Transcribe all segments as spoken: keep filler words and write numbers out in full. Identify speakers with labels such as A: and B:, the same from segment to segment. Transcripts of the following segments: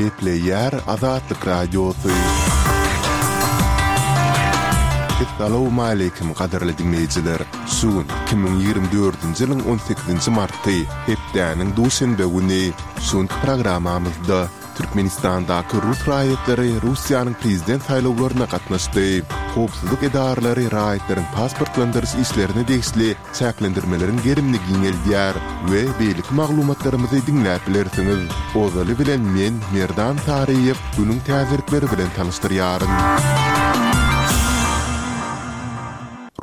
A: Gepleýär Azatlyk Radiosy. Essalawmaleýkim gadyrly diňleýjiler! Şu gün iki müň ýigrimi dördünji ýylyň on sekizinji marty, hepdäniň duşenbe güni. Şu günki programmamyzda Türkmenistandaky rus raýatlary Russiýanyň prezident saýlawlaryna gatnaşdy. Howpsuzlyk edaralary raýatlaryň pasportlandyryş işlerine degişli çäklendirmeleriň gerimini giňeldýär we beýleki maglumatlarymyzy diňläp bilersiňiz. Ozaly bilen men, Merdan Saryýew, günüň täzelikleri bilen tanyşdyrýaryn.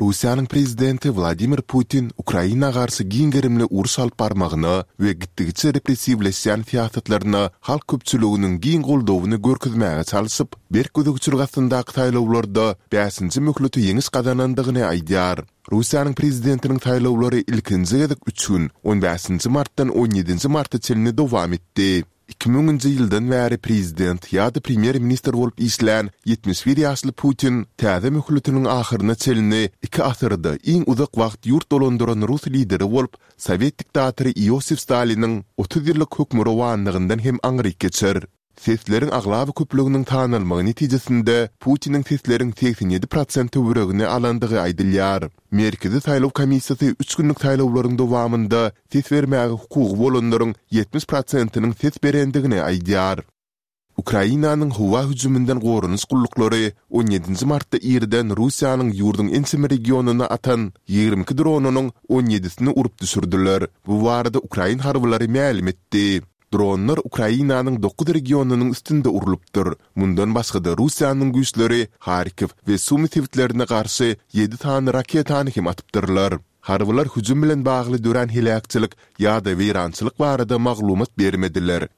A: Russiýanyň prezidenti Wladimir Putin Ukraina garşy giň gerimli uruş alyp barmagyna we gitdigiçe repressiwleşýän syýasatlaryna halk köpçüliginiň giň goldawyny görkezmäge çalşyp, berk gözegçilik astyndaky saýlawlarda bäşinji möhlete ýeňiş gazanandygyny aýdýar. Russiýanyň prezidentiniň saýlawlary ilkinji gezek üç gün, on bäşinji martdan on ýedinji marta çenli dowam etdi. Iki müňünji ýyldan bäri prezident ýa-da premýer-ministr bolup işlän ýetmiş bir ýaşly Putin täze möhletiniň ahyryna çenli iki asyrda iň uzak wagt ýurt dolandyran rus lideri bolup, sowet diktatory Iosif Staliniň otuz ýyllyk hökmürowanlygyndan hem aňryk geçer. Sesleriň aglaba köplüginiň sanalmagy netijesinde Putiniň sesleriň segsen ýedi prosent töweregini alandygy aýdylýar. Merkezi saýlaw komissiýasy üç günlük saýlawlaryň dowamynda ses bermäge hukugy bolanlaryň ýetmiş prosentiniň ses berendigini aýdýar. Ukrainanyň howa hüjüminden goranyş gulluklary on ýedinji martda irden Russiýanyň ýurduň ençeme regionyna atan ýigrimi iki dronynyň on ýedisini urup düşürdiler. Bu barada ukrain harbylary mälim etdi. Dronlar Ukrainanyň dokuz regionynyň üstünde urlupdyr. Mundan başga-da Russiýanyň güýçleri Harkiw we Sumy sebitlerine garşy ýedi sany raketany hem atypdyrlar. Harbylar hüjüm bilen bagly dörän heläkçilik ýa-da weýrançylyk barada maglumat bermediler.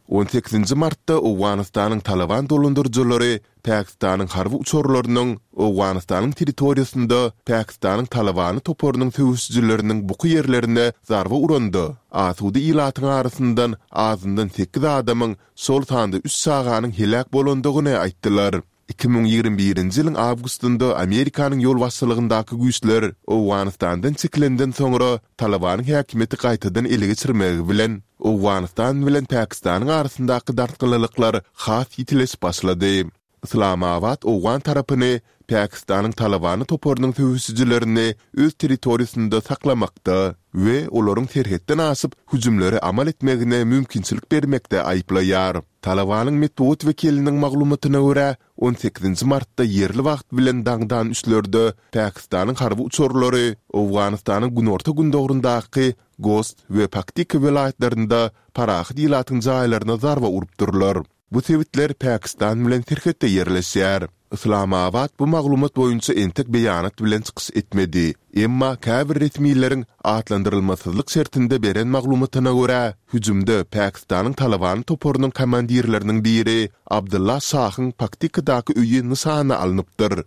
A: On sekizinji martda Owganystanyň Talyban dolandyryjylary Pakistanyň harby uçarlarynyň Owganystanyň territoriýasynda Pakistanyň Talybany toparynyň söweşijileriniň buky ýerlerine zarba uranda, asuda ilatyň arasyndan azyndan sekiz adamyň, şol sanda üç çaganyň heläk bolandygyny aýtdylar. Iki müň ýigrimi birinji ýylyň awgustynda Amerikanyň ýolbaşçylygyndaky güýçler Owganystandan çekilenden soňra Talybanyň häkimiýeti gaýtadan ele geçirmegi bilen, Owganystan bilen Pakistanyň arasyndaky dartgynlylyklar has ýitileşip başlady. Yslamabat owgan tarapyny Pakistanyň Talybany toparynyň söweşijilerini öz territoriýasynda saklamakda we olaryň serhetden aşyp hüjümleri amal etmegine mümkinçilik bermekde aýyplaýar. Talybanyň metbugat wekiliniň maglumatyna görä, on sekizinji martda ýerli wagt bilen daňdan üçlerde Pakistanyň harby uçarlary Owganystanyň günorta-gündogaryndaky Gost we Paktika welaýatlarynda parahat ilatyň jaýlaryna zarba urupdyrlar. Bu sebitler Pakistan bilen serhetde ýerleşýär. Yslamabat bu maglumat boýunça entek beýanat bilen çykyş etmedi. Emma käbir resmileriň atlandyrylmasyzlyk şertinde beren maglumatyna görä, hüjümde Pakistanyň Talybany toparynyň komandirleriniň biri Abdylla Şahyň Paktikadaky öýi nyşana alnypdyr.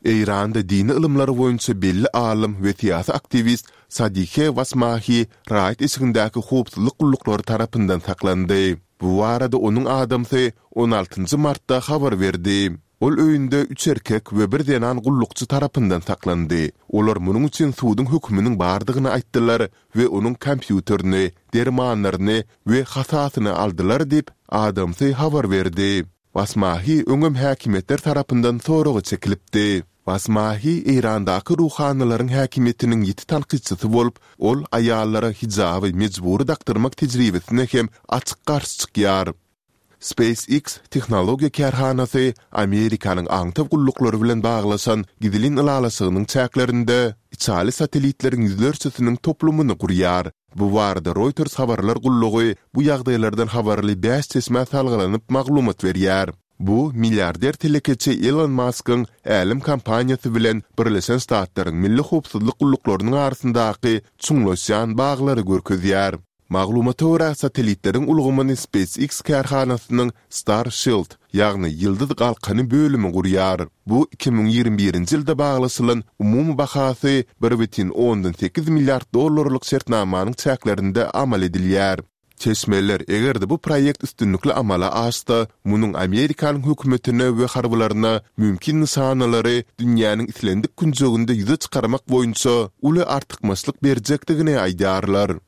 A: Eýranda dini ylymlar boýunça belli alym we syýasy aktiwist Sadihe Wasmahi raýat eşigindäki howpsuzlyk gulluklary tarapyndan saklandy. Bu barada onuň adamsy on altynjy martda habar berdi. Ol öýünde üç erkek we bir zenan gullukçy tarapyndan saklandy. Olar munuň üçin suduň höküminiň bardygyny aýtdylar we onuň kompýuterini, dermanlaryny we hasasyny aldylar diýip, adamsy habar berdi. Basmahi öňem häkimiýetler tarapyndan soraga çekilipdi. Basmahi Eýrandaky ruhanylaryň häkimiýetiniň ýiti tankytçysy bolup, ol aýallara hijaby mejbury dakdyrmak tejribesine hem açyk garşy çykýar. SpaceX tehnologiýa kärhanasy Amerikanyň aňtaw gulluklary bilen baglaşan gizlin ylalaşygynyň çäklerinde içaly satellitleriň ýüzlerçesiniň toplumyny gurýar. Bu barada Reuters habarlar gullugy bu ýagdaýlardan habarly bäş çeşmä salgylanyp maglumat berýär. Bu milliarder telekeçi Elon Maskyň Älem kompaniýasy bilen Birleşen Ştatlaryň Milli howpsuzlyk gulluklarynyň arasyndaky çuňlaşýan baglary görkezýär. Maglumata görä, satellitleriň ulgamyny SpaceX kärhanasynyň Starshield, ýagny Ýyldyz galkany bölümi gurýar. Bu iki müň ýigrimi birinji ýylda baglaşylan umumy bahasy bir bütin ondan sekiz milliard dollarlyk şertnamanyň çäklerinde amal edilýär. Çeşmeler eger-de bu proýekt üstünlikli amala aşsa, munuň Amerikanyň hökümetine we harbylaryna mümkin nyşanalary dünýäniň islendik künjeginde ýüze çykarmak boýunça uly artykmaçlyk berjekdigini aýdýarlar.